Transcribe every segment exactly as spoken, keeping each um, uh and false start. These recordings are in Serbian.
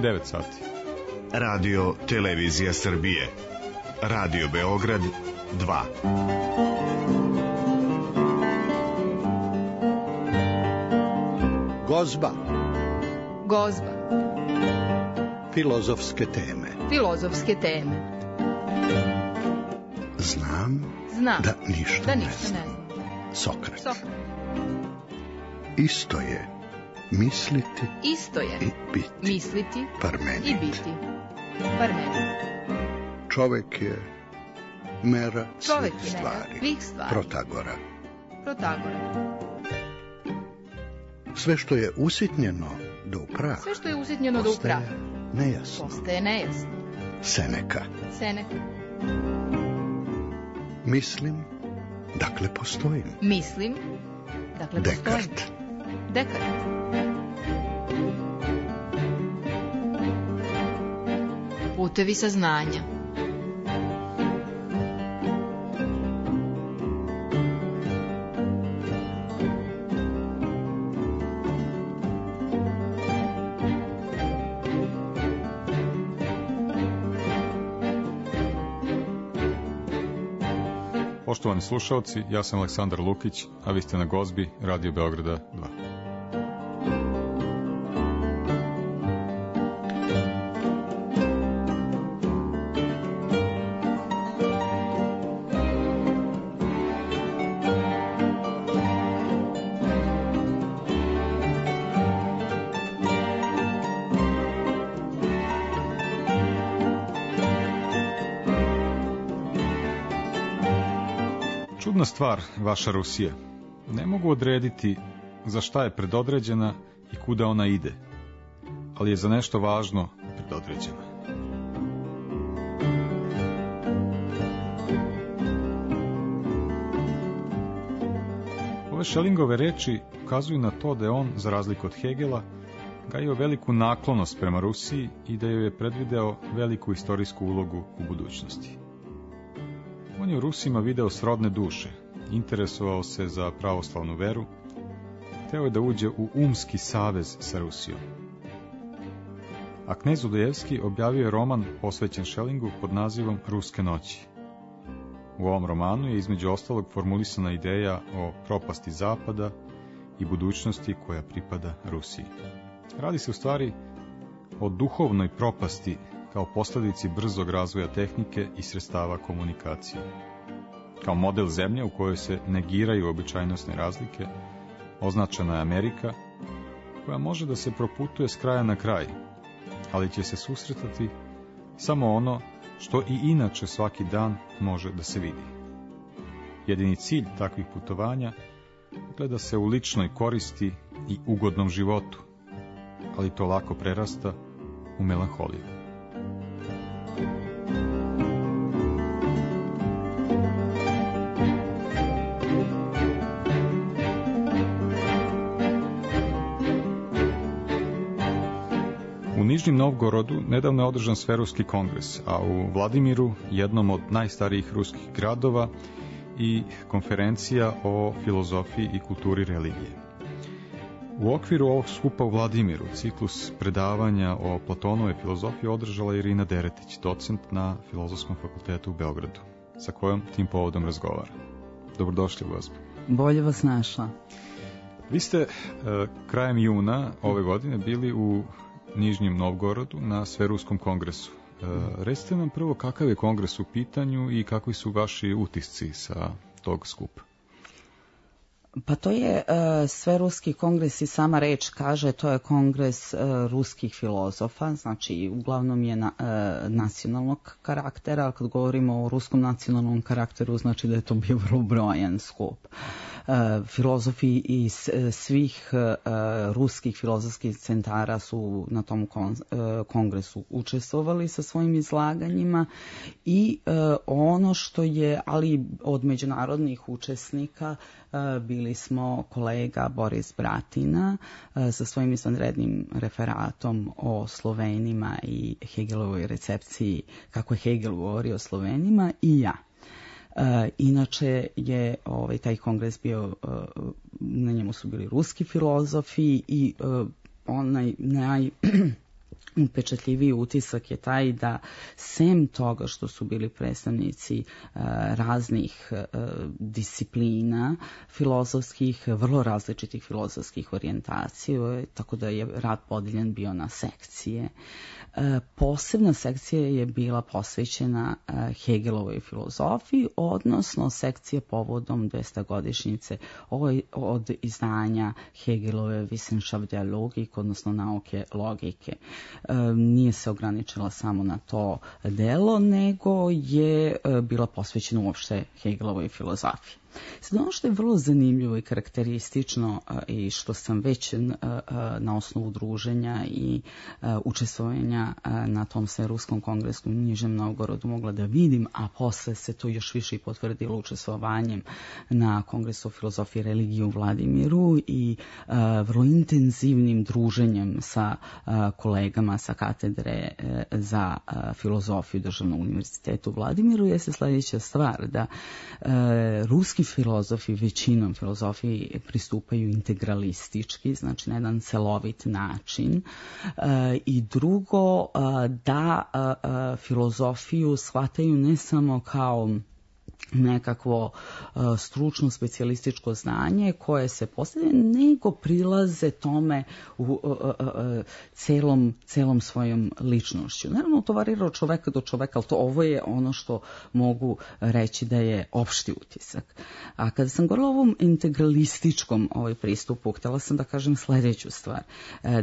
devet sati. Radio Televizija Srbije. Radio Beograd dva. Gozba. Gozba. Filozofske teme. Filozofske teme. Znam, Znam da ništa, da ne ništa znam. ne znam. Sokrat. Sokrat. Isto je misliti Isto je i biti. misliti Parmenid. i biti. Parmenid. Čovek je mera Čovek svih je mera stvari. svih stvari. Protagora. Protagora. Sve što je usitnjeno do praha Sve što je usitnjeno do praha nejasno. postaje nejasno. Seneka. Seneka. Mislim, dakle postojim. Mislim, dakle postojim. Dekart. Dekart. Putevi saznanja. Poštovani slušalci, ja sam Aleksandar Lukić, a vi ste na Gozbi Radio Beograda dva. Čudna stvar, vaša Rusija. Ne mogu odrediti za šta je predodređena i kuda ona ide, ali je za nešto važno predodređena. Ove Schellingove reči ukazuju na to da je on, za razliku od Hegela, gajio veliku naklonost prema Rusiji i da joj je predvideo veliku istorijsku ulogu u budućnosti. On je u Rusima video srodne duše, interesovao se za pravoslavnu veru, hteo je da uđe u umski savez sa Rusijom. A knez Udojevski objavio je roman posvećen Schellingu pod nazivom Ruske noći. U ovom romanu je između ostalog formulisana ideja o propasti Zapada i budućnosti koja pripada Rusiji. Radi se u stvari o duhovnoj propasti kao posljedici brzog razvoja tehnike i sredstava komunikacije. Kao model zemlje u kojoj se negiraju običajnosne razlike, označena je Amerika, koja može da se proputuje s kraja na kraj, ali će se susretati samo ono što i inače svaki dan može da se vidi. Jedini cilj takvih putovanja gleda se u ličnoj koristi i ugodnom životu, ali to lako prerasta u melanholiju. U Nižnjem Novgorodu nedavno je održan Sveruski kongres, a u Vladimiru, jednom od najstarijih ruskih gradova, i konferencija o filozofiji i kulturi religije. U okviru ovog skupa u Vladimiru ciklus predavanja o Platonovoj filozofiji održala Irina Deretić, docent na Filozofskom fakultetu u Beogradu, sa kojom tim povodom razgovara. Dobrodošli, gospo. Bolje vas našla. Vi ste e, krajem juna ove godine bili u Nižnjem Novgorodu na Sveruskom kongresu. E, recite nam prvo kakav je kongres u pitanju i kakvi su vaši utisci sa tog skupa. Pa to je uh, Sveruski kongres i sama reč kaže, to je kongres uh, ruskih filozofa, znači uglavnom je na, uh, nacionalnog karaktera, ali kad govorimo o ruskom nacionalnom karakteru, znači da je to bio vrlo brojan skup. Uh, filozofi iz uh, svih uh, ruskih filozofskih centara su na tom kon, uh, kongresu učestvovali sa svojim izlaganjima i uh, ono što je, ali od međunarodnih učesnika uh, bili smo kolega Boris Bratina uh, sa svojim izvanrednim referatom o Slovenima i Hegelovoj recepciji, kako je Hegel govorio o Slovenima, i ja. Uh, inače je ovaj, taj kongres bio, uh, na njemu su bili ruski filozofi i uh, onaj naj, upečatljiviji utisak je taj da sem toga što su bili predstavnici e, raznih e, disciplina filozofskih, vrlo različitih filozofskih orijentacija, tako da je rad podeljen bio na sekcije. E, posebna sekcija je bila posvećena e, Hegelovoj filozofiji, odnosno sekcija povodom dvestogodišnjice od izdanja Hegelove Wissenschaft der Logik, odnosno nauke logike. E, nije se ograničila samo na to delo, nego je e, bila posvećena uopšte Hegelovoj filozofiji. Sad ono što je vrlo zanimljivo i karakteristično i što sam već na osnovu druženja i učestvovanja na tom Sveruskom kongresu u Nižem Novgorodu mogla da vidim, a posle se to još više i potvrdilo učestvovanjem na Kongresu o filozofiji i religiji u Vladimiru i vrlo intenzivnim druženjem sa kolegama sa katedre za filozofiju Državnog univerziteta u Vladimiru, je se sledeća stvar da ruski filozofi, većinom filozofiji pristupaju integralistički, znači na jedan celovit način. E, I drugo, da a, filozofiju shvataju ne samo kao nekakvo uh, stručno specijalističko znanje koje se postavlja, nego prilaze tome u uh, uh, uh, celom, celom svojom ličnošću. Naravno, to varira od čoveka do čoveka, ali to ovo je ono što mogu reći da je opšti utisak. A kada sam govorila o ovom integralističkom ovaj pristupu, htjela sam da kažem sledeću stvar.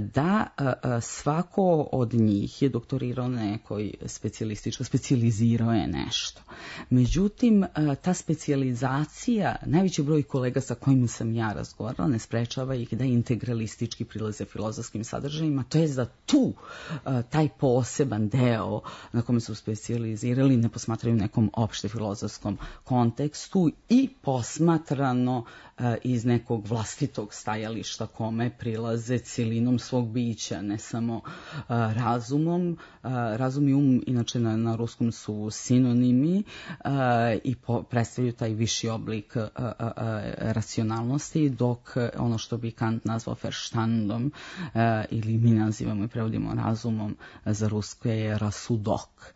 Da uh, svako od njih je doktorirao nekoj specijalističko, specijalizirao je nešto. Međutim, ta specijalizacija, najveći broj kolega sa kojim sam ja razgovarala, ne sprečava ih da integralistički prilaze filozofskim sadržajima, to je za tu, taj poseban deo na kome su specijalizirali ne posmatraju nekom opšte filozofskom kontekstu i posmatrano iz nekog vlastitog stajališta kome prilaze celinom svog bića, ne samo razumom. Razum i um, inače na, na ruskom su sinonimi i po, predstavljaju taj viši oblik a, a, a, racionalnosti, dok ono što bi Kant nazvao Verstandom a, ili mi nazivamo i prevodimo razumom za rusko je rasudok.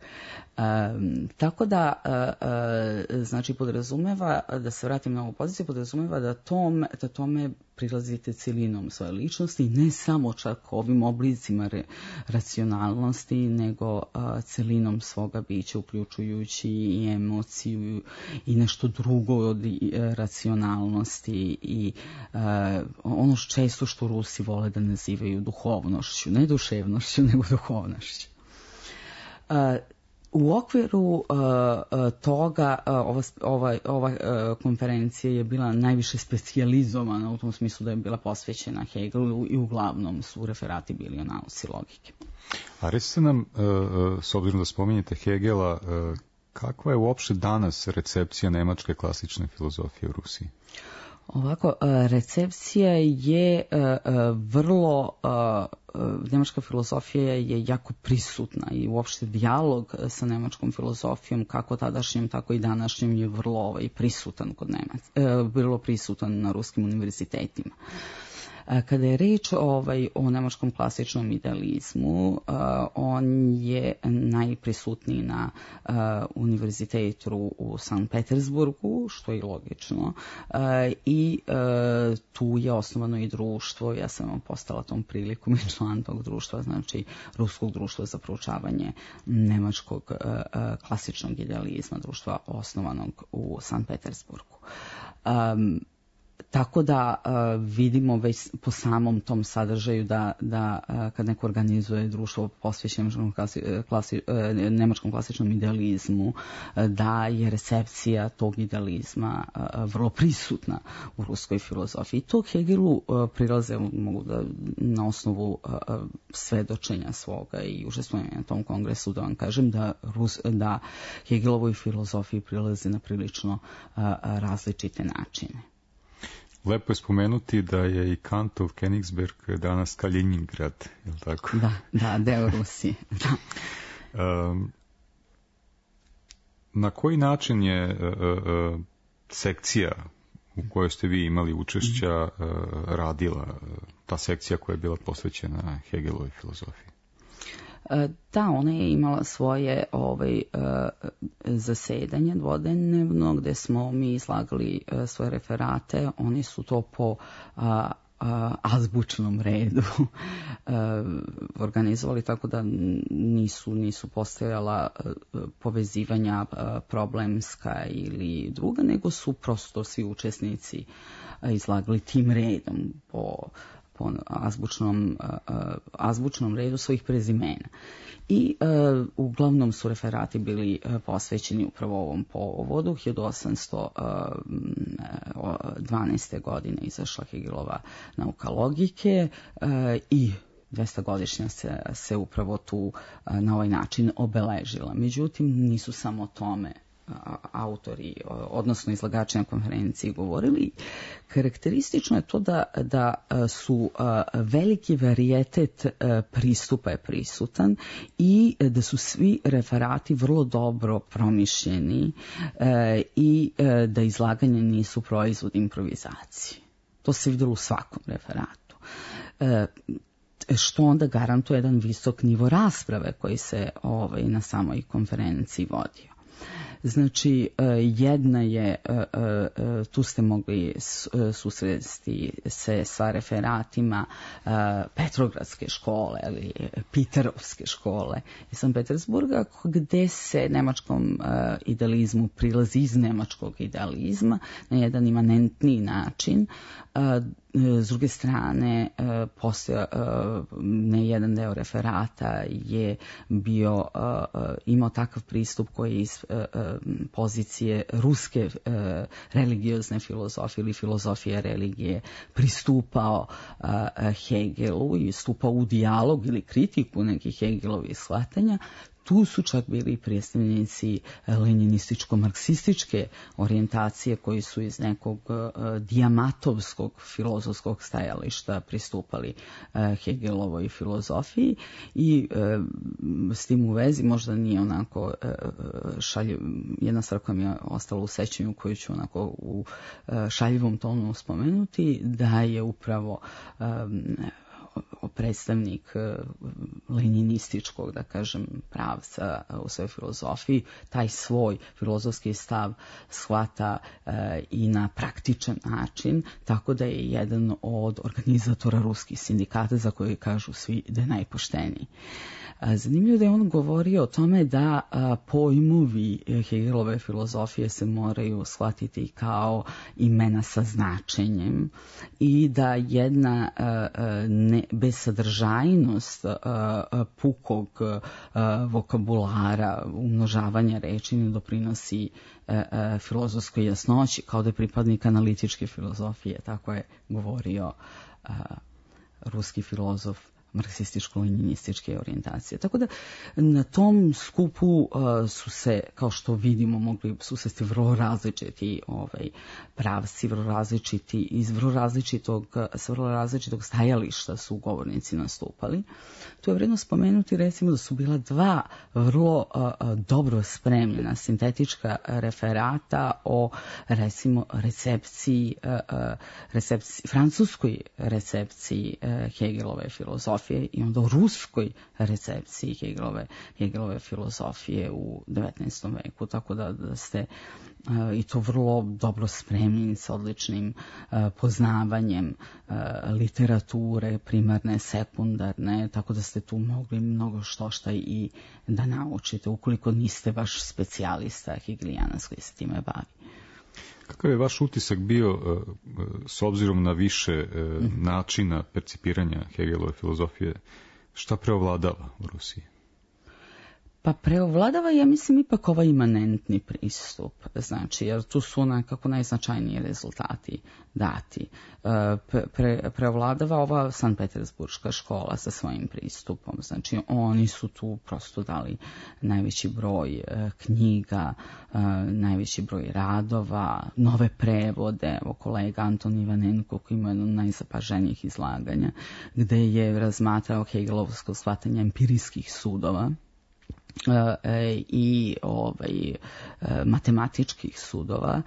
A, tako da a, a, znači podrazumeva, da se vratim na ovu poziciju, podrazumeva da, tom, da tome prilazite celinom svoje ličnosti, ne samo čak ovim oblicima re, racionalnosti, nego a, celinom svoga bića, uključujući i emociju i nešto drugo od i, racionalnosti i a, ono što često što Rusi vole da nazivaju duhovnošću, ne duševnošću, nego duhovnošću. A, U okviru uh, toga uh, ova, ova, ova uh, konferencija je bila najviše specijalizovana u tom smislu da je bila posvećena Hegelu i uglavnom su referati bili o nauci logike. A recite nam, uh, s obzirom da spominjete Hegela, uh, kakva je uopšte danas recepcija nemačke klasične filozofije u Rusiji? Ovako, recepcija je vrlo, nemačka filozofija je jako prisutna i uopšte dijalog sa nemačkom filozofijom, kako tadašnjom, tako i današnjom, je vrlo ovaj, prisutan kod Nemaca, vrlo prisutan na ruskim univerzitetima. Kada je reč ovaj, o nemačkom klasičnom idealizmu, uh, on je najprisutniji na uh, univerzitetu u Sankt Petersburgu, što je logično, uh, i uh, tu je osnovano i društvo, ja sam postala tom prilikom i član tog društva, znači Ruskog društva za proučavanje nemačkog uh, uh, klasičnog idealizma, društva osnovanog u Sankt Petersburgu. Um, Tako da uh, vidimo već po samom tom sadržaju da, da uh, kad neko organizuje društvo posvećeno klasi, klasi, uh, nemačkom klasičnom idealizmu, uh, da je recepcija tog idealizma uh, vrlo prisutna u ruskoj filozofiji. I to Hegelu uh, prilaze, mogu da na osnovu uh, svedočenja svoga i učestvovanja na tom kongresu da vam kažem da, Rus, da Hegelovoj filozofiji prilaze na prilično uh, različite načine. Lepo je spomenuti da je i Kantov Königsberg danas Kaliningrad, je li tako? Da, da, deo Rusije. Da. um, na koji način je uh, uh, sekcija u kojoj ste vi imali učešća uh, radila, uh, ta sekcija koja je bila posvećena Hegelovoj filozofiji? Da, ona je imala svoje ovaj, zasedanje dvodnevno gde smo mi izlagali svoje referate. Oni su to po azbučnom redu organizovali, tako da nisu, nisu postojala povezivanja problemska ili druga, nego su prosto svi učesnici izlagali tim redom po po azbučnom, azbučnom redu svojih prezimena. I uh, uglavnom su referati bili uh, posvećeni upravo ovom povodu. hiljadu osamsto dvanaeste. godine izašla Hegelova nauka logike uh, i dvestogodišnja se, se upravo tu uh, na ovaj način obeležila. Međutim, nisu samo tome autori, odnosno izlagači na konferenciji govorili. Karakteristično je to da, da su veliki varijetet pristupa je prisutan i da su svi referati vrlo dobro promišljeni i da izlaganje nisu proizvod improvizacije. To se vidjelo u svakom referatu. Što onda garantuje jedan visok nivo rasprave koji se ovaj, na samoj konferenciji vodio. Znači, jedna je, tu ste mogli susresti se sa referatima Petrogradske škole ili Piterovske škole iz Sankt Petersburga, gde se nemačkom idealizmu prilazi iz nemačkog idealizma na jedan imanentni način. S druge strane, postoje ne jedan deo referata je bio, imao takav pristup koji je iz pozicije ruske religiozne filozofije ili filozofije religije pristupao Hegelu i stupao u dijalog ili kritiku nekih Hegelovih shvatanja. Tu su čak bili predstavnici leninističko-marksističke orijentacije koji su iz nekog uh, dijamatovskog filozofskog stajališta pristupali uh, Hegelovoj filozofiji i uh, s tim u vezi možda nije onako uh, šaljiv, jedna stvar koja mi je ostala u sećanju koju ću onako u uh, šaljivom tonu spomenuti, da je upravo um, predstavnik leninističkog, da kažem, pravca u svojoj filozofiji, taj svoj filozofski stav shvata e, i na praktičan način, tako da je jedan od organizatora ruskih sindikata za koje kažu svi da je najpošteniji. Zanimljivo da je on govorio o tome da a, pojmovi Hegelove filozofije se moraju shvatiti kao imena sa značenjem i da jedna a, a, ne, bezsadržajnost a, a, pukog a, vokabulara, umnožavanja reči ne doprinosi a, a, filozofskoj jasnoći, kao da je pripadnik analitičke filozofije, tako je govorio a, ruski filozof marksističko-leninističke orijentacije. Tako da na tom skupu uh, su se, kao što vidimo, mogli susresti vrlo različiti ovaj, pravci, vrlo različiti, iz vrlo različitog, s vrlo različitog stajališta su govornici nastupali. Tu je vredno spomenuti recimo da su bila dva vrlo uh, dobro spremljena sintetička referata o recimo recepciji, uh, recepciji francuskoj recepciji uh, Hegelove filozofije i onda o ruskoj recepciji Hegelove, Hegelove filozofije u devetnaestom veku, tako da, da ste uh, i to vrlo dobro spremljeni sa odličnim uh, poznavanjem uh, literature, primarne, sekundarne, tako da ste tu mogli mnogo što šta i da naučite, ukoliko niste baš specijalista hegelijanac koji se time bavi. Kakav je vaš utisak bio s obzirom na više načina percipiranja Hegelove filozofije? Šta preovladava u Rusiji? Pa preovladava, ja mislim, ipak ovaj imanentni pristup, znači, jer tu su nekako najznačajniji rezultati dati. Pre, preovladava ova Sankt Petersburška škola sa svojim pristupom, znači oni su tu prosto dali najveći broj knjiga, najveći broj radova, nove prevode. Evo kolega Anton Ivanenko koji ima jedno od najzapaženijih izlaganja, gde je razmatrao hegelovsko shvatanje empirijskih sudova, i ovaj, matematičkih sudova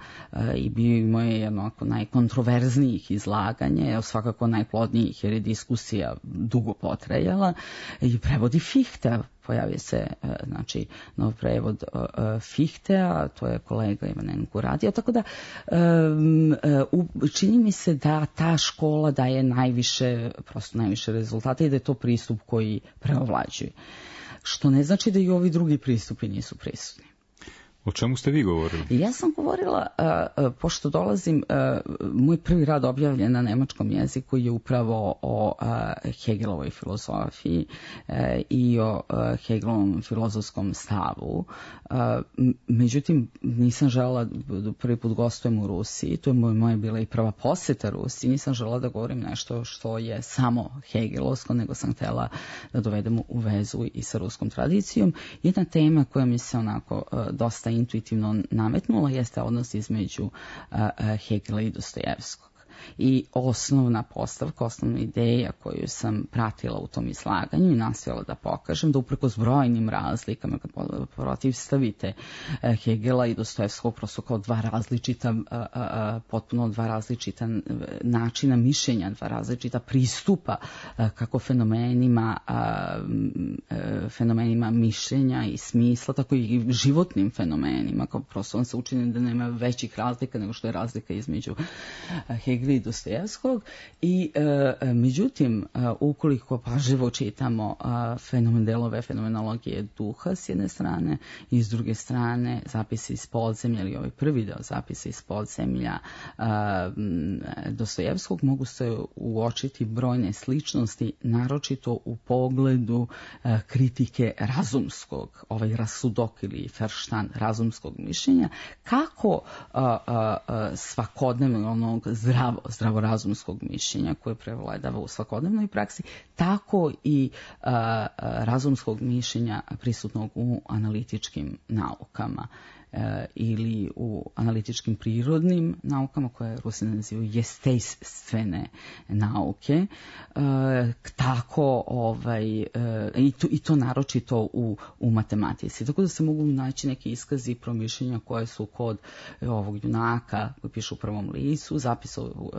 i bio imao je jedno ako najkontroverznijih izlaganja, svakako najplodnijih jer je diskusija dugo potrajala i prevodi Fichte. Pojavio se znači, nov prevod Fichtea, to je kolega Ivanenko radio, tako da čini mi se da ta škola daje najviše, prosto najviše rezultata i da je to pristup koji preovlađuje. Što ne znači da i ovi drugi pristupi nisu prisutni. O čemu ste vi govorili? Ja sam govorila, uh, pošto dolazim, uh, moj prvi rad objavljen na nemačkom jeziku je upravo o uh, Hegelovoj filozofiji uh, i o uh, Hegelovom filozofskom stavu. Uh, međutim, nisam žela da prvi put gostujem u Rusiji, to je moja, moja bila i prva posjeta Rusiji, nisam žela da govorim nešto što je samo hegelovsko, nego sam htjela da dovedem u vezu i sa ruskom tradicijom. Jedna tema koja mi se onako uh, dosta intuitivno nametnula jeste odnos između uh, Hegela i Dostojevskog. I osnovna postavka, osnovna ideja koju sam pratila u tom izlaganju i nastojala da pokažem, da uprkos brojnim razlikama, kad protivstavite Hegela i Dostojevskog prosto kao dva različita, potpuno dva različita načina mišljenja, dva različita pristupa kako fenomenima, fenomenima mišljenja i smisla, tako i životnim fenomenima, kao prosto on se učini da nema većih razlika nego što je razlika između Hegela i Dostojevskog i e, međutim e, ukoliko pažljivo čitamo e, fenomen delove fenomenologije duha s jedne strane i s druge strane zapisi iz podzemlja ili ovaj prvi deo zapisa iz podzemlja e, Dostojevskog mogu se uočiti brojne sličnosti, naročito u pogledu e, kritike razumskog, ovaj rasudok ili Verstand razumskog mišljenja, kako a, a, a, svakodnevno onog zdravo zdravorazumskog mišljenja koje prevladava u svakodnevnoj praksi, tako i a, a, razumskog mišljenja prisutnog u analitičkim naukama e, ili u analitičkim prirodnim naukama koje Rusi nazivaju jestejstvene nauke, e, tako ovaj, e, i, to, i to naročito u, u matematici. Tako da se mogu naći neki iskazi promišljenja koje su kod ovog junaka koji piše u prvom licu, zapisa u,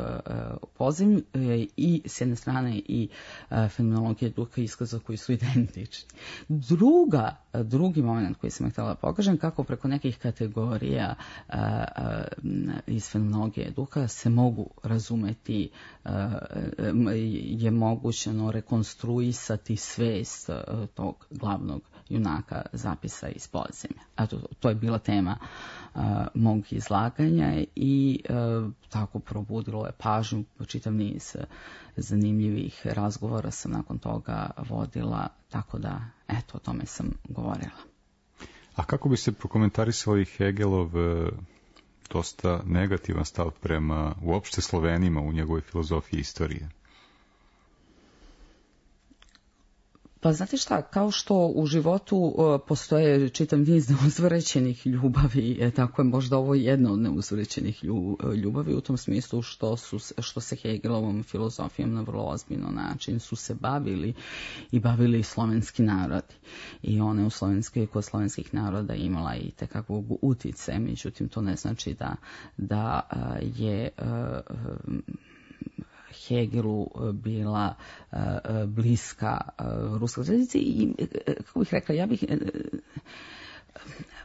u podzemlju e, i s jedne strane i e, fenomenologije duha iskaza koji su identični. Druga, drugi moment koji sam htjela pokažem, kako preko nekih kategorija a, a, iz fenomenologije duha se mogu razumeti, a, je mogućeno rekonstruisati svest a, tog glavnog junaka zapisa iz podzemlja. A to, to je bila tema a, mog izlaganja i a, tako probudilo je pažnju, čitav niz zanimljivih razgovora sam nakon toga vodila, tako da eto o tome sam govorila. A kako bi se prokomentarisali Hegelov dosta negativan stav prema uopšte Slovenima u njegovoj filozofiji istorije? Pa znate šta, kao što u životu uh, postoje čitav niz neuzvraćenih ljubavi, e, tako je možda ovo jedno od neuzvraćenih ljubavi u tom smislu što, su, što se Hegelovom filozofijom na vrlo ozbiljno način su se bavili i bavili slovenski narodi. I one u slovenskoj kod slovenskih naroda imala i tekakvog utice, međutim to ne znači da, da uh, je uh, Hegelu bila uh, bliska uh, ruskoj tradiciji i, kako bih rekla, ja bih, uh,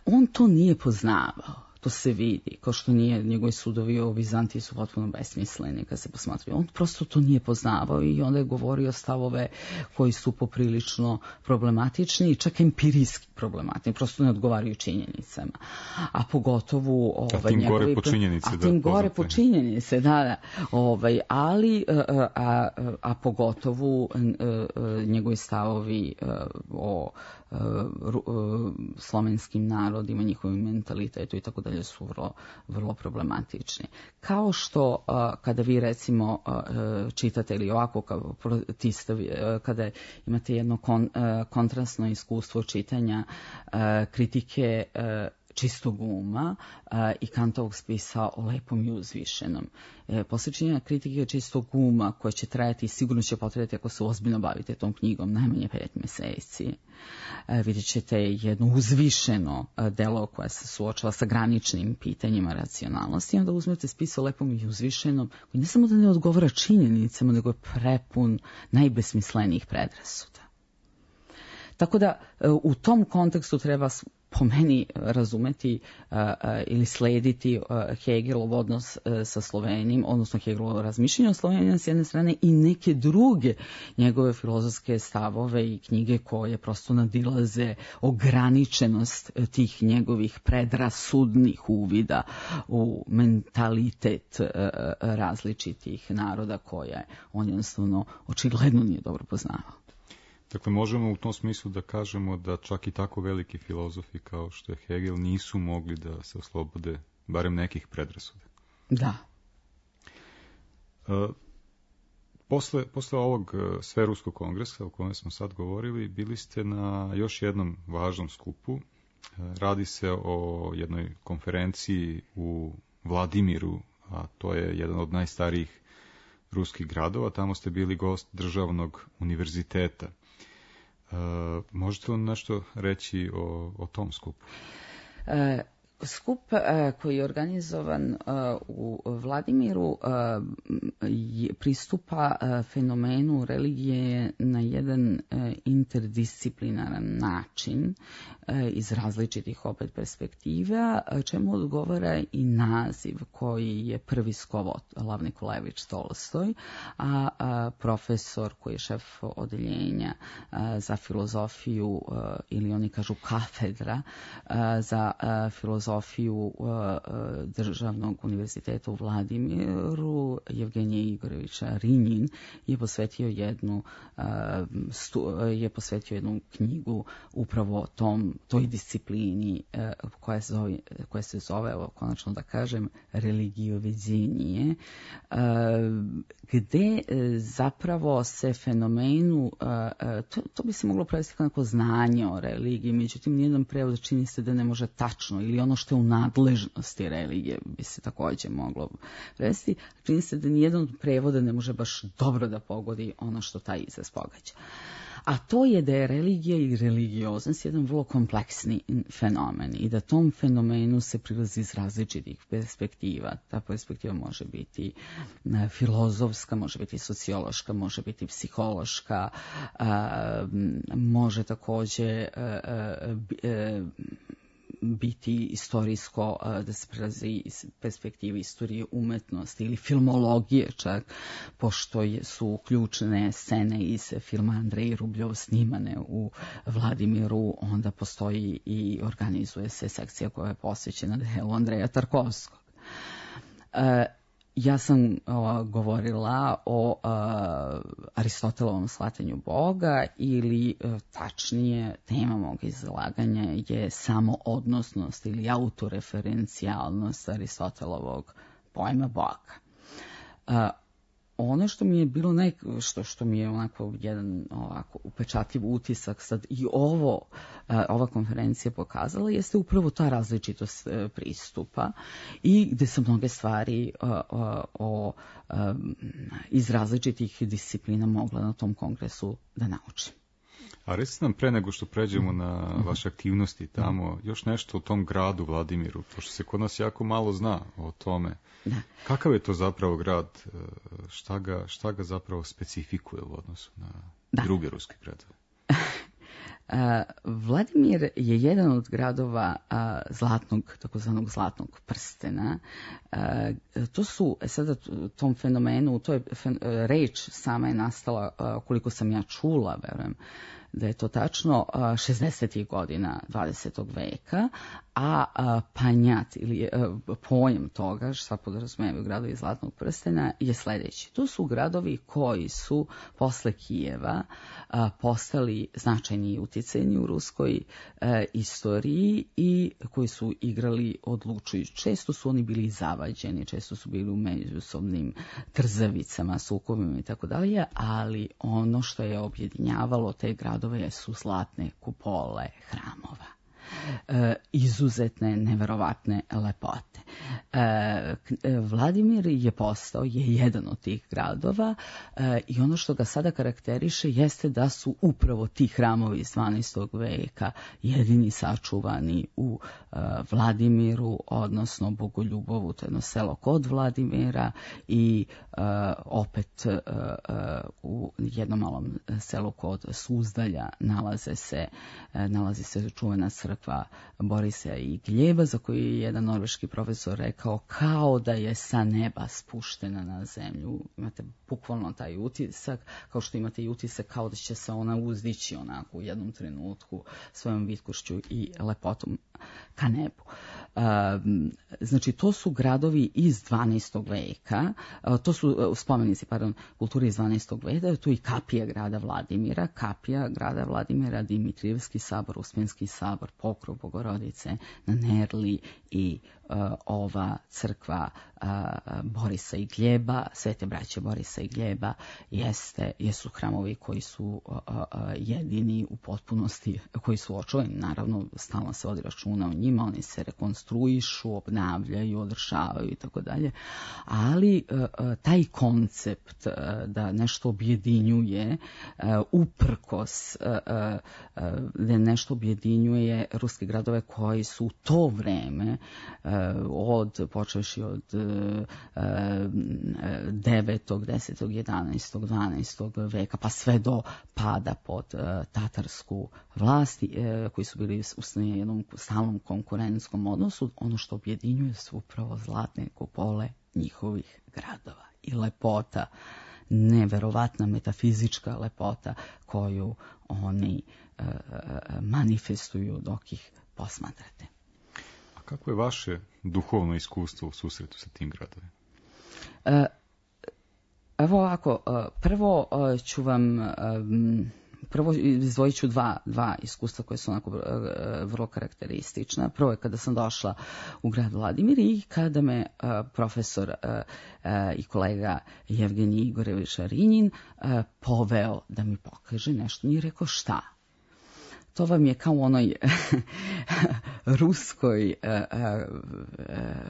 on to nije poznavao. To se vidi, kao što nije, njegovi sudovi o Vizantiji su potpuno besmisleni kad se posmatraju. On prosto to nije poznavao i onda je govorio stavove koji su poprilično problematični i čak empirijski problematični, prosto ne odgovaraju činjenicama. A pogotovo ovaj, a tim njegovi, gore po činjenice. A tim da, gore po činjenice, da, da. Ovaj, ali, a, a, a pogotovo njegovi stavovi o slovenskim narodima, njihovim mentalitetu i tako dalje su vrlo, vrlo problematični. Kao što kada vi recimo čitate ili ovako kao protistavi, kada imate jedno kon, kontrastno iskustvo čitanja kritike čistog uma i Kantovog spisa o lepom i uzvišenom. Posle kritike čistog uma, koja će trajati i sigurno će potrebati ako se ozbiljno bavite tom knjigom, najmanje pet meseci. Vidjet ćete jedno uzvišeno delo koje se suočava sa graničnim pitanjima racionalnosti, i onda uzmete spis o lepom i uzvišenom, koji ne samo da ne odgovara činjenicama, nego je prepun najbesmislenijih predrasuda. Tako da u tom kontekstu treba po meni razumeti uh, uh, ili slediti uh, Hegelov odnos uh, sa Slovenijom, odnosno Hegelovo razmišljanje o Sloveniji s jedne strane i neke druge njegove filozofske stavove i knjige koje prosto nadilaze ograničenost tih njegovih predrasudnih uvida u mentalitet uh, različitih naroda koje on jednostavno očigledno nije dobro poznavao. Dakle, možemo u tom smislu da kažemo da čak i tako veliki filozofi kao što je Hegel nisu mogli da se oslobode barem nekih predrasuda. Da. E, posle, posle ovog Sveruskog kongresa o kojem smo sad govorili, bili ste na još jednom važnom skupu. E, radi se o jednoj konferenciji u Vladimiru, a to je jedan od najstarijih ruskih gradova. Tamo ste bili gost državnog univerziteta. Uh, možete li nešto reći o, o tom skupu? Uh, skup uh, koji je organizovan uh, u Vladimiru uh, je, pristupa uh, fenomenu religije na jedan uh, interdisciplinaran način uh, iz različitih opet perspektiva, čemu odgovara i naziv koji je prvi skovao Lav Nikolajević Tolstoj, a, a profesor koji je šef odeljenja a, za filozofiju a, ili oni kažu kafedra a, za a, filozofiju a, a, Državnog univerziteta u Vladimiru, Evgenije Igorovića Rinjin, je posvetio jednu a, stu, je posvetio jednu knjigu upravo tom toj disciplini a, koja, zove, koja se zove, evo, konačno da kažem, religiovedjenje, gde zapravo se fenomenu, to, to bi se moglo prevesti kao neko znanje o religiji, međutim nijedan prevod čini se da ne može tačno, ili ono što je u nadležnosti religije bi se također moglo prevesti, čini se da nijedan od prevoda ne može baš dobro da pogodi ono što taj izraz pogađa. A to je da je religija i religioznost jedan vrlo kompleksni fenomen i da tom fenomenu se prilazi iz različitih perspektiva. Ta perspektiva može biti filozofska, može biti sociološka, može biti psihološka, može također biti istorijsko, da se prelazi iz perspektive istorije umetnosti ili filmologije čak, pošto su ključne scene iz filma Andrej Rubljov snimane u Vladimiru, onda postoji i organizuje se sekcija koja je posvećena delu Andreja Tarkovskog. Ja sam o, govorila o a, Aristotelovom shvatanju Boga, ili a, tačnije tema mog izlaganja je samo odnosnost ili autoreferencijalnost Aristotelovog pojma Boga. A, ono što mi je bilo naj, što, što mi je onako jedan ovako upečatljiv utisak sad i ovo, ova konferencija pokazala, jeste upravo ta različitost pristupa i gde su mnoge stvari o, o, o, iz različitih disciplina mogla na tom kongresu da naučim. A recite nam, pre nego što pređemo na vaše aktivnosti tamo, još nešto o tom gradu Vladimiru, pošto se kod nas jako malo zna o tome. Da. Kakav je to zapravo grad? Šta ga, šta ga zapravo specifikuje u odnosu na da. druge ruske gradove? Vladimir je jedan od gradova zlatnog, takozvanog zlatnog prstena. To su, sada tom fenomenu, to je reč sama je nastala, koliko sam ja čula, verujem, da je to tačno šezdesetih godina dvadesetog veka, a panjat ili pojam toga, šta podrazumijevaju gradovi zlatnog prstena, je sljedeći. To su gradovi koji su posle Kijeva postali značajni i uticajni u ruskoj istoriji i koji su igrali odlučujući. Često su oni bili zavađeni, često su bili u međusobnim trzavicama, sukobima i tako dalje, ali ono što je objedinjavalo te gradove su zlatne kupole hramova. e, izuzetne, neverovatne lepote. E, Vladimir je postao, je jedan od tih gradova e, i ono što ga sada karakteriše jeste da su upravo ti hramovi iz dvanaestog veka jedini sačuvani u e, Vladimiru, odnosno Bogoljubovu, to je jedno selo kod Vladimira, i e, opet e, e, u jednom malom selu kod Suzdalja nalaze se, e, nalazi se čuvena crkva Borisa i Gljeba, za koju je jedan norveški profesor rekao kao da je sa neba spuštena na zemlju. Imate bukvalno taj utisak, kao što imate i utisak kao da će se ona uzdići onako u jednom trenutku svojom vitkošću i lepotom ka nebu. Znači, to su gradovi iz dvanaestog veka, to su spomenici, pardon, kulture iz dvanaestog veka, tu i kapija grada Vladimira, kapija grada Vladimira, Dimitrijevski sabor, Uspenski sabor, Pokrov Bogorodice na Nerli i uh, ova crkva uh, Borisa i Gljeba, Svete braće Borisa i Gljeba, jeste, jesu hramovi koji su uh, uh, jedini u potpunosti, koji su očuvani, naravno stalno se vodi računa o njima, oni se rekonstruišu, obnavljaju, održavaju i tako dalje, ali uh, uh, taj koncept uh, da nešto objedinjuje uh, uprkos uh, uh, da nešto objedinjuje ruske gradove koji su u to vreme uh, od, počevši od uh, devetog, desetog, jedanaestog, dvanaestog veka pa sve do pada pod uh, tatarsku vlast, uh, koji su bili u jednom stalnom konkurentskom odnosu, ono što objedinjuje su upravo zlatne kupole njihovih gradova i lepota, neverovatna metafizička lepota koju oni uh, manifestuju dok ih posmatrate. A kako je vaše duhovno iskustvo u susretu sa tim gradovima? Uh, evo ovako, uh, prvo uh, ću vam um, Prvo izdvojit ću dva, dva iskustva koje su onako uh, vrlo karakteristična. Prvo je kada sam došla u grad Vladimir i kada me uh, profesor uh, uh, i kolega Jevgenij Igorević Šarinjin uh, poveo da mi pokaže nešto. Nije rekao šta. To vam je kao u onoj ruskoj, uh, uh,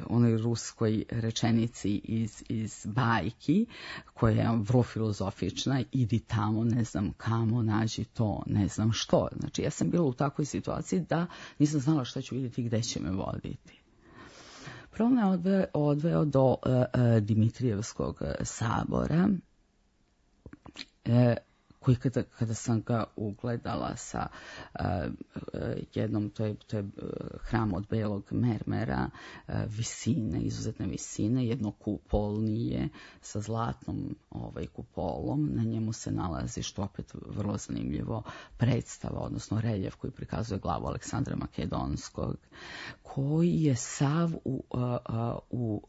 onoj ruskoj rečenici iz, iz bajki, koja je vrlo filozofična, idi tamo, ne znam kamo, nađi to, ne znam što. Znači, ja sam bila u takvoj situaciji da nisam znala šta ću vidjeti i gde će me voditi. Prvo me odveo, odveo do uh, uh, Dimitrijevskog sabora, uh, koji kada, kada sam ga ugledala sa uh, jednom, to je, to je hram od belog mermera, uh, visine, izuzetne visine, jednokupolnije sa zlatnom ovaj, kupolom, na njemu se nalazi, što opet vrlo zanimljivo, predstava, odnosno reljef koji prikazuje glavu Aleksandra Makedonskog, koji je sav u, uh, uh, u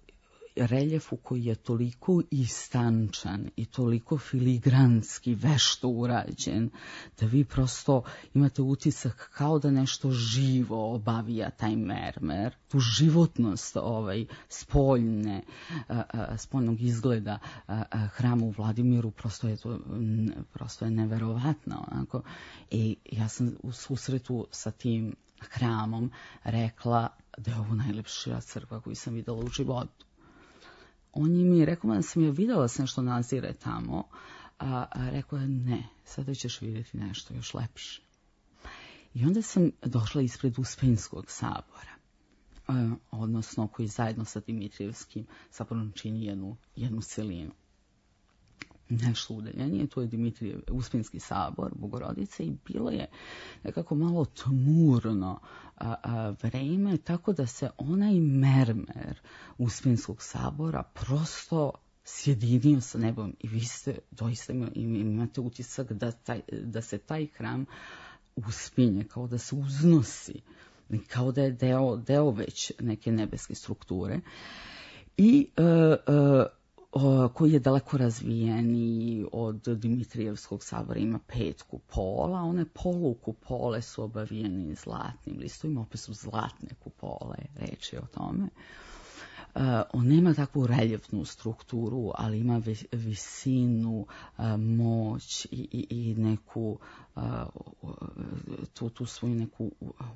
reljefu koji je toliko istančan i toliko filigranski vešto urađen da vi prosto imate utisak kao da nešto živo obavija taj mermer, tu životnost ovaj spoljne a, a, spoljnog izgleda a, a, hrama u Vladimiru prosto je to prosto je neverovatno onako. I ja sam u susretu sa tim hramom rekla da je ovo najlepša crkva koju sam videla u životu. On je mi rekao da sam je vidjela da se nešto nazire tamo, a, a rekao je ne, sada ćeš vidjeti nešto još lepše. I onda sam došla ispred Uspenskog sabora, a, odnosno koji zajedno sa Dimitrijevskim saborom čini jednu, jednu celinu. Nešto udaljenije, to je Dimitrijev, Uspenski sabor, Bogorodice, i bilo je nekako malo tmurno a, a, vreme, tako da se onaj mermer Uspenskog sabora prosto sjedinio sa nebom i vi ste doista imate utisak da, taj, da se taj hram uspinje, kao da se uznosi, kao da je deo, deo već neke nebeske strukture. I a, a, koji je daleko razvijeniji od Dimitrijevskog sabora, ima pet kupola, one polukupole su obavijene zlatnim listovima, opet su zlatne kupole, reč je o tome. on nema takvu reljefnu strukturu, ali ima visinu, moć i, i, i neku tu, tu svoju neku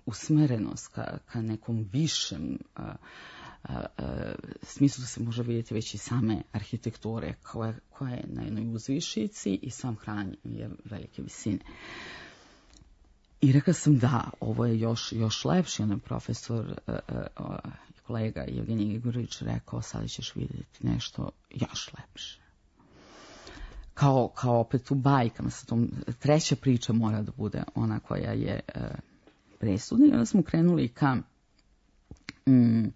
usmerenost ka, ka nekom višem smislu se može vidjeti već i same arhitekture koja, koja je na jednoj uzvišici i sam hram je velike visine. I rekla sam da, ovo je još, još lepši, onaj profesor i kolega Evgenij Igorović rekao, sada ćeš vidjeti nešto još lepše. Kao, kao opet u bajkama, sa tom, treća priča mora da bude ona koja je e, presudna. I onda smo krenuli ka, mm,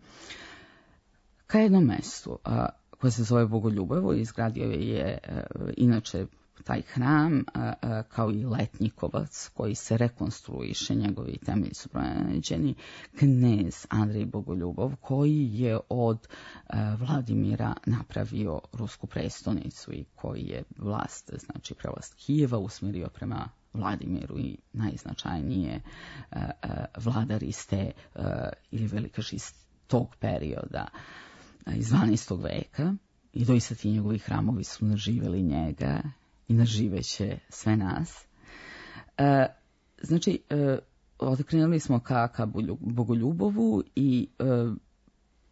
ka jednom mestu a, koje se zove Bogoljubovo. Izgradio je e, inače taj hram a, a, kao i Letnjikovac koji se rekonstruiše, njegovi temelji su pronađeni, knez Andrej Bogoljubov koji je od a, Vladimira napravio rusku prestonicu i koji je vlast, znači prevlast Kijeva usmjerio prema Vladimiru i najznačajnije a, a, vladar iz te a, ili velikaš iz tog perioda a, iz dvanaestog veka i doista ti njegovi hramovi su naživjeli njega i naživeće sve nas. E, znači, e, odkrenuli smo ka, ka Bogoljubovu i e,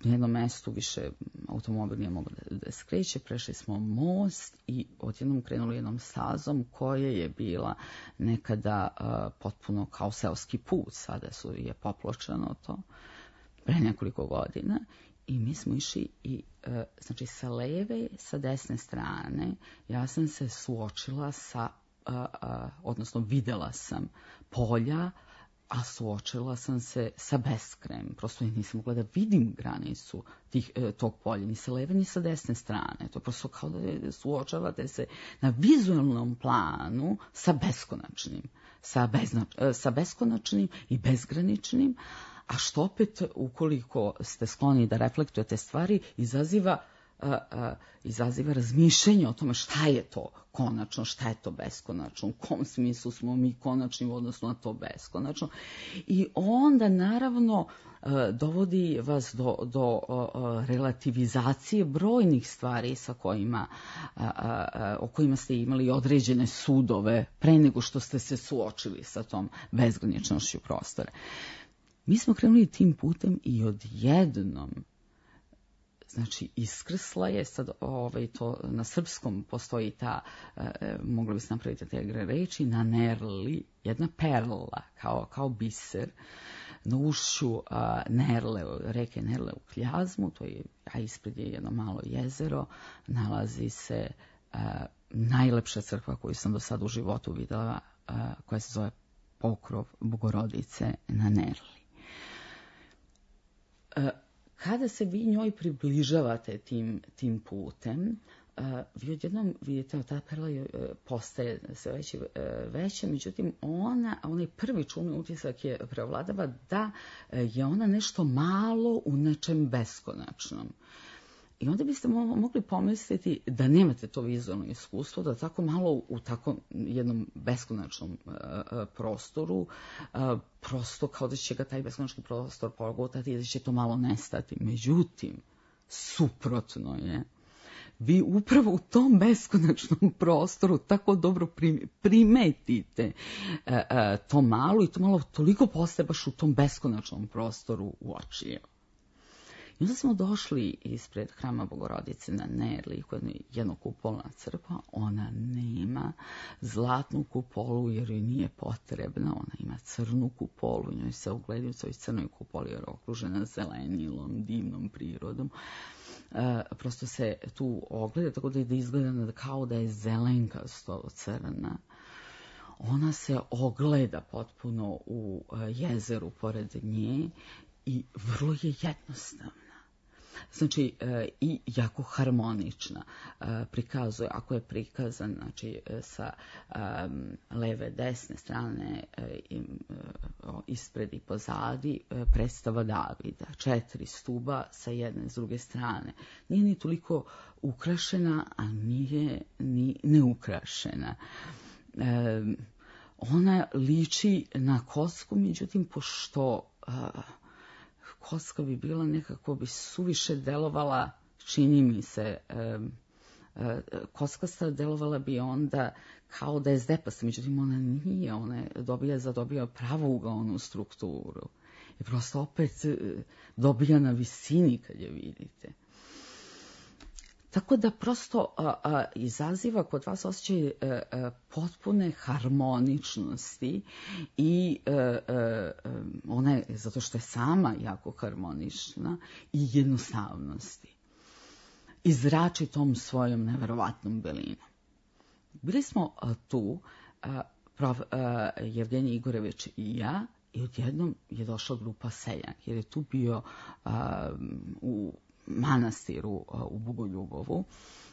na jednom mestu više automobil nije mogao da, da skreće, prešli smo most i odjednom krenuli jednom stazom koja je bila nekada e, potpuno kao seoski put, sada su je popločano to pre nekoliko godina. I mi smo išli i, e, znači, sa leve, sa desne strane, ja sam se suočila sa, a, a, odnosno videla sam polja, a suočila sam se sa beskrajem. Prosto ja nisam mogla da vidim granicu tih, e, tog polja, ni sa leve, ni sa desne strane. To je prosto kao da suočavate se na vizualnom planu sa beskonačnim, sa, bezna, sa beskonačnim i bezgraničnim, a što opet, ukoliko ste skloni da reflektujete stvari, izaziva, uh, uh, izaziva razmišljanje o tome šta je to konačno, šta je to beskonačno, u kom smislu smo mi konačni u odnosu na to beskonačno. I onda, naravno, uh, dovodi vas do, do uh, relativizacije brojnih stvari sa kojima, uh, uh, o kojima ste imali određene sudove pre nego što ste se suočili sa tom bezgraničnošću prostora. Mi smo krenuli tim putem i odjednom, znači iskrsla je, sad ovaj, to na srpskom postoji ta, e, mogli bi se napraviti te reči, na Nerli, jedna perla, kao, kao biser, na ušću a, Nerle, reke Nerle u Kljazmu, to je, a ispred je jedno malo jezero, nalazi se a, najlepša crkva koju sam do sada u životu videla, a, koja se zove Pokrov Bogorodice na Nerli. Kada se vi njoj približavate tim, tim putem, vi odjednom vidite, ta perla postaje sve veće, veća, međutim ona, onaj prvi čulni utisak je prevladava da je ona nešto malo u nečem beskonačnom. I onda biste mogli pomisliti da nemate to vizualno iskustvo, da tako malo u tako jednom beskonačnom uh, prostoru, uh, prosto kao da će ga taj beskonačni prostor pogotati i da će to malo nestati. Međutim, suprotno je. Vi upravo u tom beskonačnom prostoru tako dobro primetite uh, uh, to malo i to malo toliko postaje baš u tom beskonačnom prostoru u oči. I onda smo došli ispred hrama Bogorodice na Nerli, koja je jednokupolna crkva. Ona nema zlatnu kupolu jer joj nije potrebna. Ona ima crnu kupolu, njoj se ogledi u svoj crnoj kupoli jer je okružena zelenilom, divnom prirodom. E, prosto se tu ogleda, tako da izgleda kao da je zelenkasto crna. Ona se ogleda potpuno u jezeru pored nje i vrlo je jednostavna. Znači, e, i jako harmonična. E, prikazuje, ako je prikazan, znači, sa e, leve, desne strane, e, e, ispred i pozadi, e, predstava Davida. Četiri stuba sa jedne, s druge strane. Nije ni toliko ukrašena, a nije ni neukrašena. E, ona liči na kocku, međutim, pošto... E, kocka bi bila nekako, bi suviše delovala, čini mi se, um, kockasta delovala bi onda kao da je zdepasta, međutim ona nije, ona je dobija, zadobija pravougaonu strukturu i prosto opet dobija na visini kad je vidite. Tako da prosto a, a, izaziva kod vas osjećaj a, a, potpune harmoničnosti i a, a, ona je, zato što je sama jako harmonična, i jednostavnosti. I zrači tom svojom neverovatnom belinom. Bili smo a, tu, a, prof, a, Jevgenij Igorević i ja, i odjednom je došla grupa seljanki, jer je tu bio a, u manastiru a, u Bogoljubovu,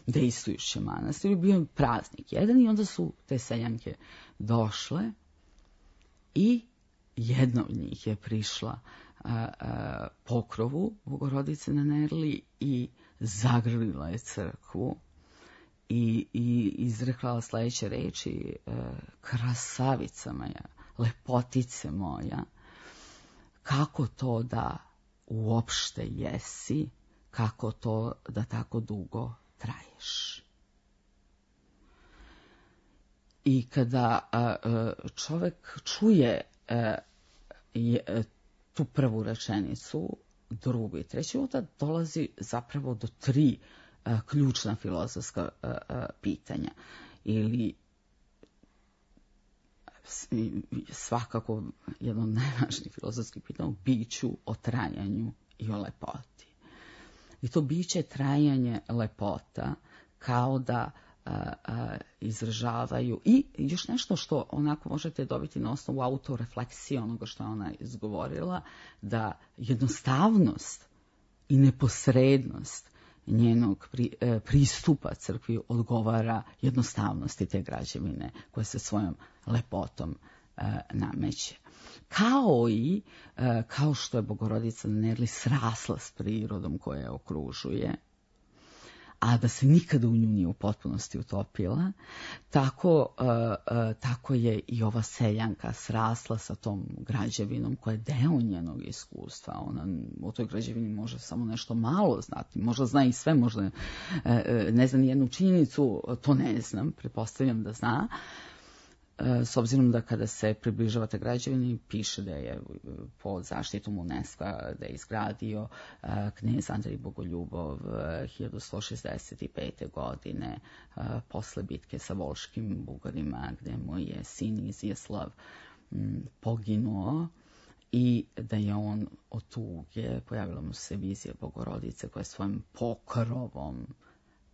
dejstvujući manastir, bio praznik jedan, i onda su te seljanke došle i jedna od njih je prišla a, a, pokrovu Bogorodice na Nerli i zagrlila je crkvu i, i izrekla sledeće reči: krasavica moja, lepotice moja, kako to da uopšte jesi, kako to da tako dugo traješ. I kada a, a, čovek čuje a, je, tu prvu rečenicu, drugu i treću, onda dolazi zapravo do tri a, ključna filozofska a, a, pitanja. Ili svakako jedno od najvažnijih filozofskih pitanja o biću, o trajanju i o lepoti. I to biće, trajanje, lepota kao da a, a, izražavaju i još nešto što onako možete dobiti na osnovu autorefleksije onoga što je ona izgovorila, da jednostavnost i neposrednost njenog pri, e, pristupa crkvi odgovara jednostavnosti te građevine koja se svojom lepotom e, nameće. Kao i, e, kao što je Bogorodica na Nerli srasla s prirodom koja je okružuje, a da se nikada u nju nije u potpunosti utopila, tako, uh, uh, tako je i ova seljanka srasla sa tom građevinom koja je deo njenog iskustva. Ona o toj građevini može samo nešto malo znati, možda zna i sve, možda uh, ne zna ni jednu činjenicu, to ne znam, pretpostavljam da zna. S obzirom da kada se približavate građevini, piše da je pod zaštitom UNESCO-a da je izgradio knez Andrej Bogoljubov hiljadu sto šezdeset pete. godine posle bitke sa Volškim Bugarima, gde mu je sin Izjaslav poginuo, i da je on od tuge, pojavila mu se vizija Bogorodice koja svojim pokrovom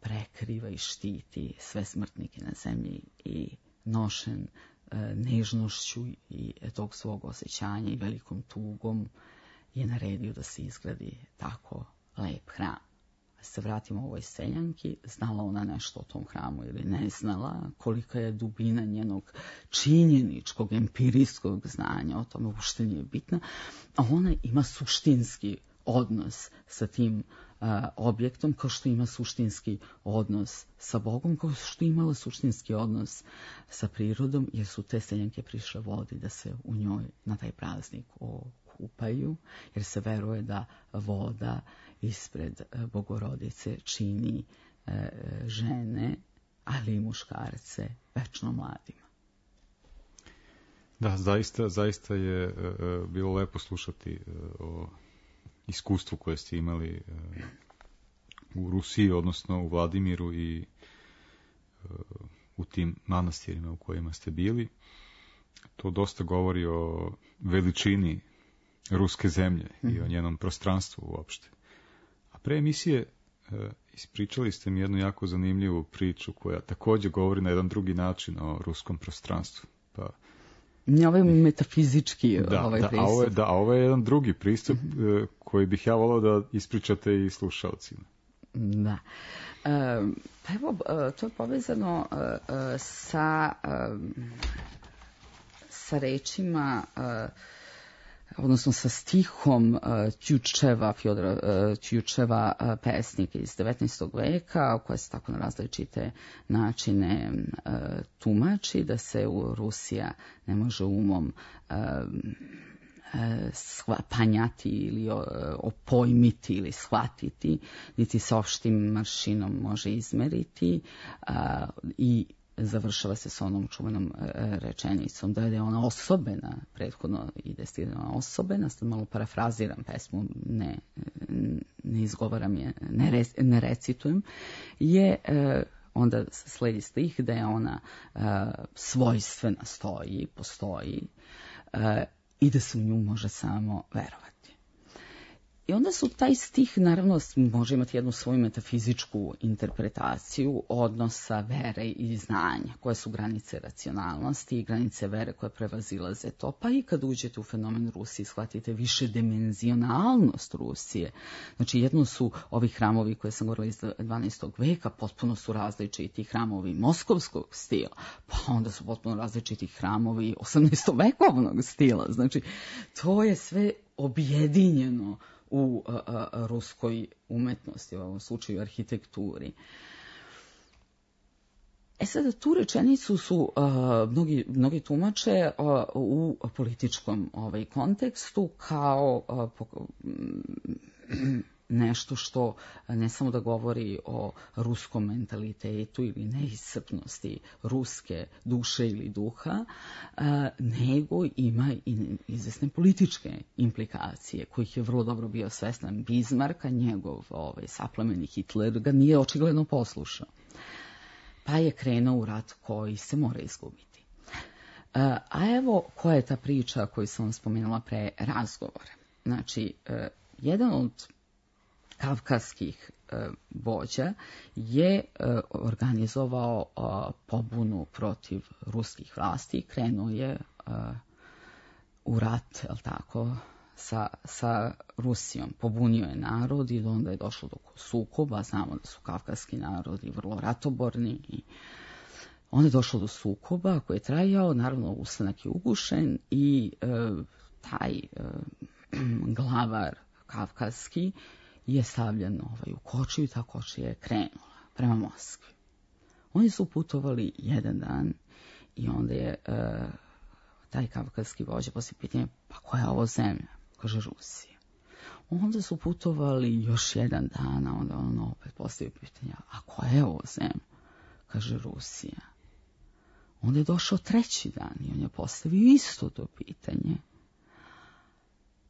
prekriva i štiti sve smrtnike na zemlji, i nošen e, nežnošću i tog svog osjećanja i velikom tugom je naredio da se izgradi tako lep hram. Da se vratimo ovoj seljanki, znala ona nešto o tom hramu ili ne znala, kolika je dubina njenog činjeničkog, empirijskog znanja o tome uopšte nije bitna, a ona ima suštinski odnos sa tim a, objektom, kao što ima suštinski odnos sa Bogom, kao što je imala suštinski odnos sa prirodom, jer su te seljanke prišle vodi da se u njoj na taj praznik okupaju, jer se veruje da voda ispred Bogorodice čini e, žene, ali i muškarce večno mladima. Da, zaista, zaista je e, bilo lepo slušati e, o iskustvu koje ste imali u Rusiji, odnosno u Vladimiru i u tim manastirima u kojima ste bili. To dosta govori o veličini ruske zemlje i o njenom prostranstvu uopšte. A pre emisije ispričali ste mi jednu jako zanimljivu priču koja takođe govori na jedan drugi način o ruskom prostranstvu. Pa Ne, ovo je metafizički da, ovaj da, pristup. A ovo je, da, a ovo je jedan drugi pristup mm-hmm. koji bih ja volao da ispričate i slušalcima. Da. E, pa evo, to je povezano e, sa, e, sa rečima, e, odnosno sa stihom Tjučeva, Fjodora Tjučeva, pesnika iz devetnaestog veka, koja se tako na različite načine tumači, da se u Rusija ne može umom panjati ili opojmiti ili shvatiti, niti se opštim maršinom može izmeriti i završava se s onom čuvenom rečenicom da je ona osobena, prethodno i destilirana osobena, sad malo parafraziram pesmu, ne, ne izgovaram je, ne, re, ne recitujem, je onda sledi stih da je ona svojstvena, stoji, postoji i da se u nju može samo verovati. I onda su taj stih, naravno, može imati jednu svoju metafizičku interpretaciju odnosa vere i znanja, koje su granice racionalnosti i granice vere koje prevazilaze to. Pa i kad uđete u fenomen Rusije, shvatite više dimenzionalnost Rusije. Znači, jedno su ovi hramovi koje sam govorila iz dvanaestog veka, potpuno su različiti hramovi moskovskog stila, pa onda su potpuno različiti hramovi osamnaestovekovnog stila. Znači, to je sve objedinjeno u a, a, ruskoj umetnosti, u ovom slučaju arhitekturi. E sada, tu rečenicu su a, mnogi, mnogi tumače a, u političkom ovaj, kontekstu kao a, po, nešto što ne samo da govori o ruskom mentalitetu ili neiscrpnosti ruske duše ili duha, nego ima i izvesne političke implikacije, kojih je vrlo dobro bio svestan Bismarck, a njegov ovaj, saplemeni Hitler ga nije očigledno poslušao. Pa je krenuo u rat koji se mora izgubiti. A evo koja je ta priča koju sam vam spomenula pre razgovora. Znači, jedan od kavkaskih e, vođa je e, organizovao e, pobunu protiv ruskih vlasti i krenuo je e, u rat, jel tako, sa, sa Rusijom. Pobunio je narod i onda je došlo do sukoba. Znamo da su kavkaski narodi vrlo ratoborni i onda je došlo do sukoba koji je trajao, naravno ustanak je ugušen i e, taj e, glavar kavkaski je stavljen ovaj, u kočiju i ta kočija je krenula prema Moskvi. Oni su putovali jedan dan i onda je e, taj kavkaski vođa poslije pitanje, pa koja je ovo zemlja? Kaže Rusija. Onda su putovali još jedan dan, a onda on opet postavio pitanje, a koja je ovo zemlja? Kaže Rusija. Onda je došao treći dan i on je postavio isto to pitanje.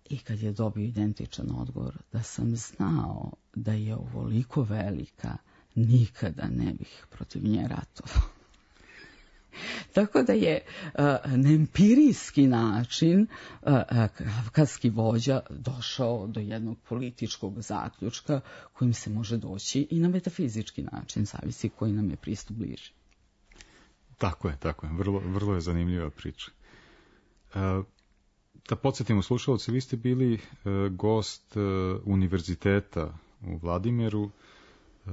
I kad je dobio identičan odgovor da sam znao da je ovoliko velika, nikada ne bih protiv nje ratovao. Tako da je uh, na empirijski način uh, kavkaski vođa došao do jednog političkog zaključka kojim se može doći i na metafizički način, zavisi koji nam je pristup bliži. Tako je, tako je. Vrlo, vrlo je zanimljiva priča. Uh, Da podsjetimo slušalci, vi ste bili e, gost e, univerziteta u Vladimiru. E,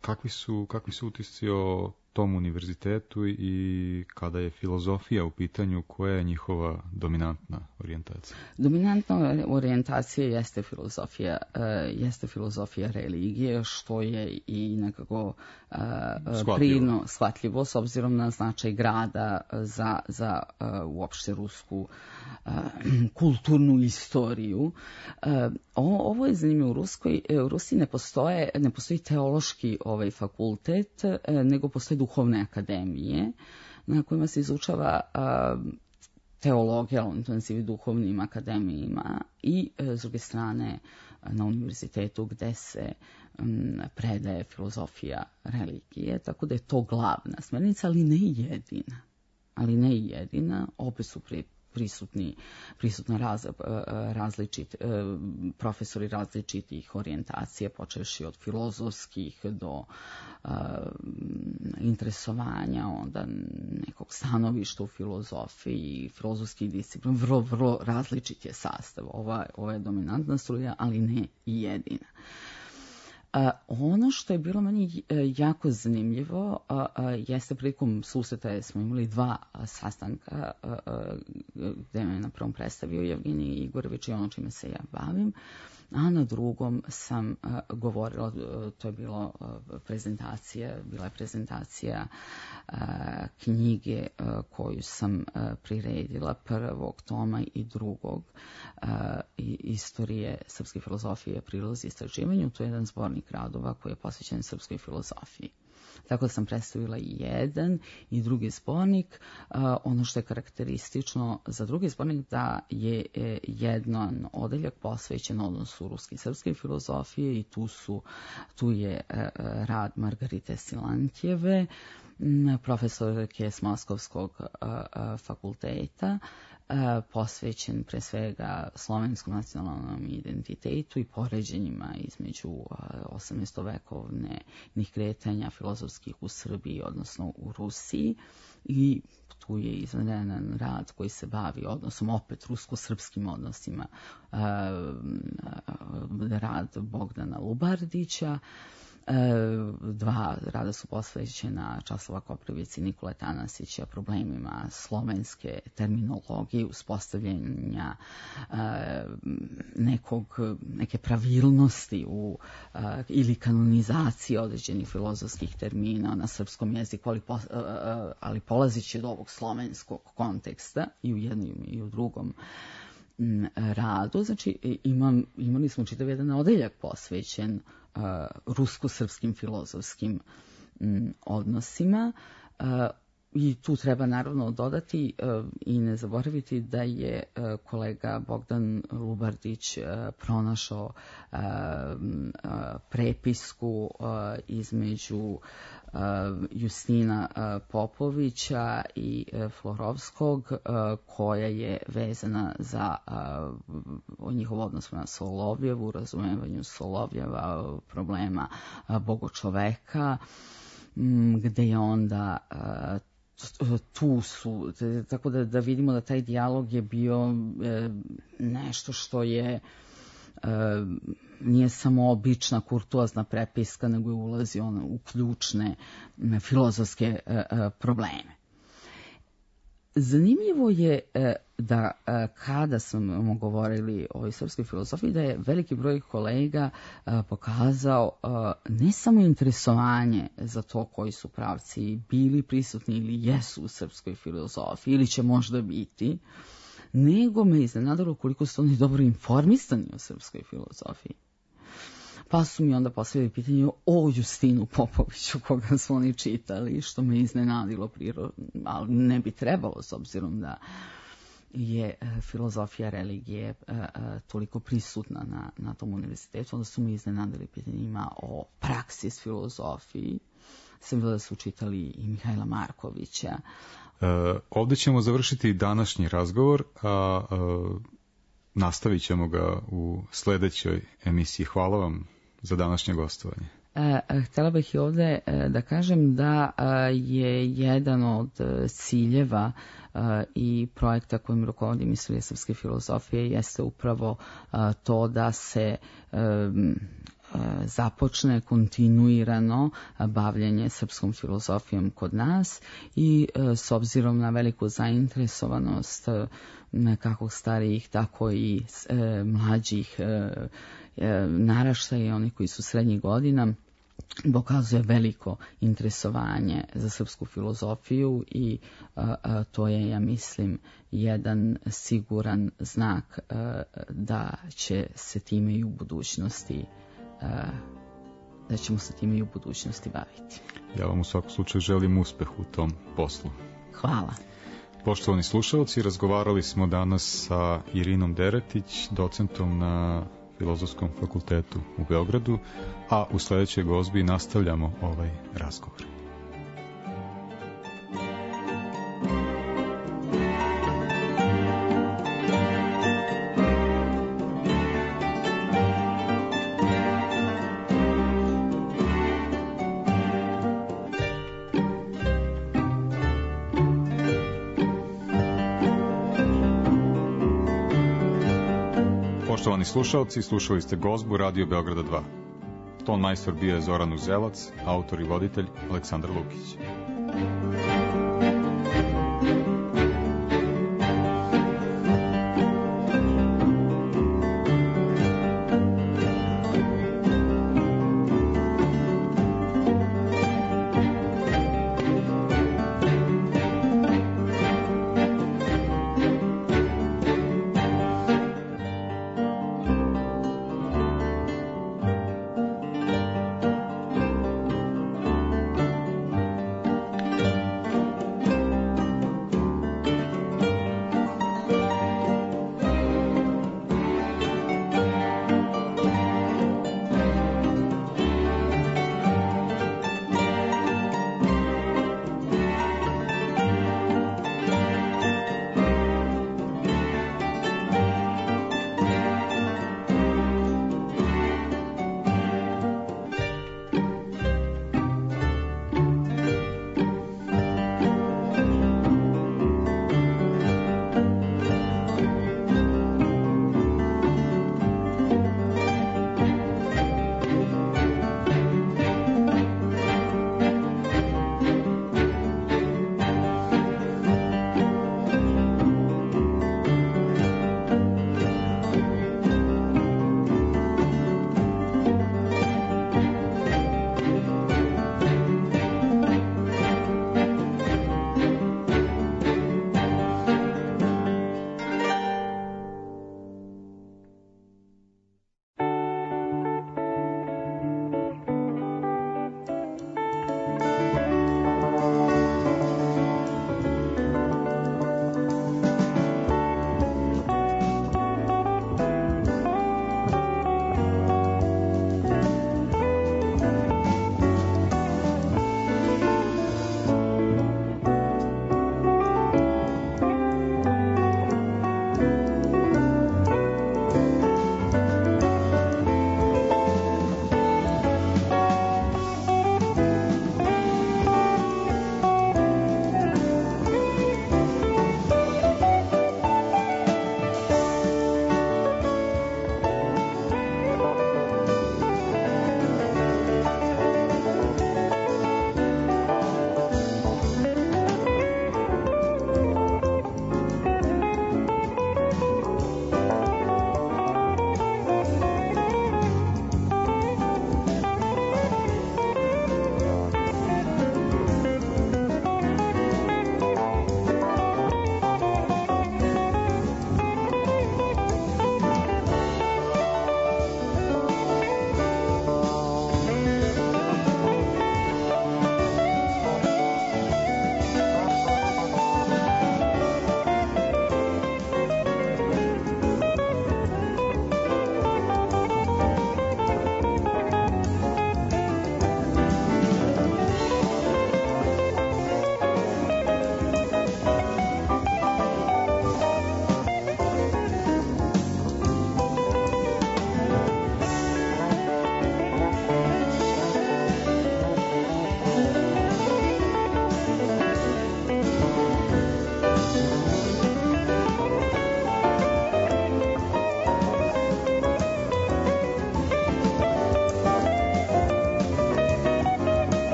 kakvi su, kakvi su utisci o tom univerzitetu i kada je filozofija u pitanju, koja je njihova dominantna orijentacija? Dominantna orijentacija jeste filozofija, uh, jeste filozofija religije, što je i nekako uh, prino shvatljivo s obzirom na značaj grada za, za uh, uopšte rusku uh, kulturnu istoriju. Uh, ovo je zanimljivo. U Ruskoj, u Rusiji ne postoje, ne postoji teološki ovaj fakultet, uh, nego postoje duhovne akademije na kojima se izučava uh, teologija, on to nazivi duhovnim akademijima i s druge strane na univerzitetu gde se um, predaje filozofija religije, tako da je to glavna smernica, ali ne jedina. Ali ne jedina, opet su pri, prisutni, prisutna raz, različit, profesori različitih orijentacija, počevši od filozofskih do uh, interesovanja, onda nekog stanovišta u filozofiji, filozofskih disciplina, vrlo, vrlo različit je sastav. Ova, ova je dominantna struja, ali ne jedina. A, ono što je bilo meni jako zanimljivo a, a, jeste prilikom susreta smo imali dva a, sastanka a, a, gde me na prvom predstavio Jevgenij Igorović i ono čime se ja bavim, a na drugom sam a, govorila, to je bilo a, prezentacija, bila je prezentacija a, knjige a, koju sam a, priredila, prvog toma i drugog a, i, istorije srpske filozofije, prilozi istraživanju. To je jedan zbornik radova koji je posvećen srpskoj filozofiji. Tako da sam predstavila i jedan i drugi zbornik. Ono što je karakteristično za drugi zbornik da je jedan odeljak posvećen odnosu ruske i srpske filozofije i tu, su, tu je rad Margarite Silantjeve, profesorke s Moskovskog fakulteta, posvećen pre svega slovenskom nacionalnom identitetu i poređenjima između osamnaestovekovnih kretanja filozofskih u Srbiji, odnosno u Rusiji. I tu je izveden rad koji se bavi odnosom, opet rusko-srpskim odnosima, rad Bogdana Lubardića. Dva rada su posvećena Časlava Koprivici i Nikole Tanasića problemima slovenske terminologije, uspostavljanja nekog, neke pravilnosti u, ili kanonizacije određenih filozofskih termina na srpskom jeziku, ali, po, ali polazići od ovog slovenskog konteksta i u jednom i u drugom radu. Znači, imam, imali smo čitav jedan odeljak posvećen uh, rusko-srpskim filozofskim um, odnosima. Uh, I tu treba naravno dodati uh, i ne zaboraviti da je uh, kolega Bogdan Lubardić uh, pronašao uh, uh, prepisku uh, između uh, Justina uh, Popovića i uh, Florovskog uh, koja je vezana za uh, njihov odnos na Solovjevu, razumevanju Solovjeva, problema uh, bogočoveka, um, gde je onda uh, tu su, tako da, da vidimo da taj dijalog je bio e, nešto što je e, nije samo obična kurtuazna prepiska, nego je ulazi on u ključne e, filozofske e, e, probleme. Zanimljivo je e, da e, kada smo govorili o srpskoj filozofiji, da je veliki broj kolega e, pokazao e, ne samo interesovanje za to koji su pravci bili prisutni ili jesu u srpskoj filozofiji ili će možda biti, nego me iznenadilo koliko su oni dobro informisani o srpskoj filozofiji. Pa su mi onda postavili pitanje o Justinu Popoviću, koga su oni čitali, što me iznenadilo prirodno, ali ne bi trebalo, s obzirom da je filozofija religije toliko prisutna na, na tom univerzitetu. Onda su mi iznenadili pitanjima o praksis filozofiji. Sam bila da su čitali i Mihajla Markovića. E, ovdje ćemo završiti današnji razgovor, a e, nastavit ćemo ga u sledećoj emisiji. Hvala vam za današnje gostovanje. Htjela bih i ovdje da kažem da je jedan od ciljeva i projekta kojim rukovodim Istorija srpske filozofije jeste upravo to da se započne kontinuirano bavljanje srpskom filozofijom kod nas i s obzirom na veliku zainteresovanost kako starijih, tako i mlađih naraštaja i oni koji su srednjih godina, pokazuje veliko interesovanje za srpsku filozofiju i a, a, to je, ja mislim, jedan siguran znak a, da će se time i u budućnosti a, da ćemo se time i u budućnosti baviti. Ja vam u svakom slučaju želim uspeh u tom poslu. Hvala. Poštovani slušalci, razgovarali smo danas sa Irinom Deretić, docentom na Filozofskom fakultetu u Beogradu, a u sledećoj gozbi nastavljamo ovaj razgovor. Poštovani slušalci, slušali ste gozbu Radio Beograda dva. ton majstor bio je Zoran Uzelac, autor i voditelj Aleksandar Lukić.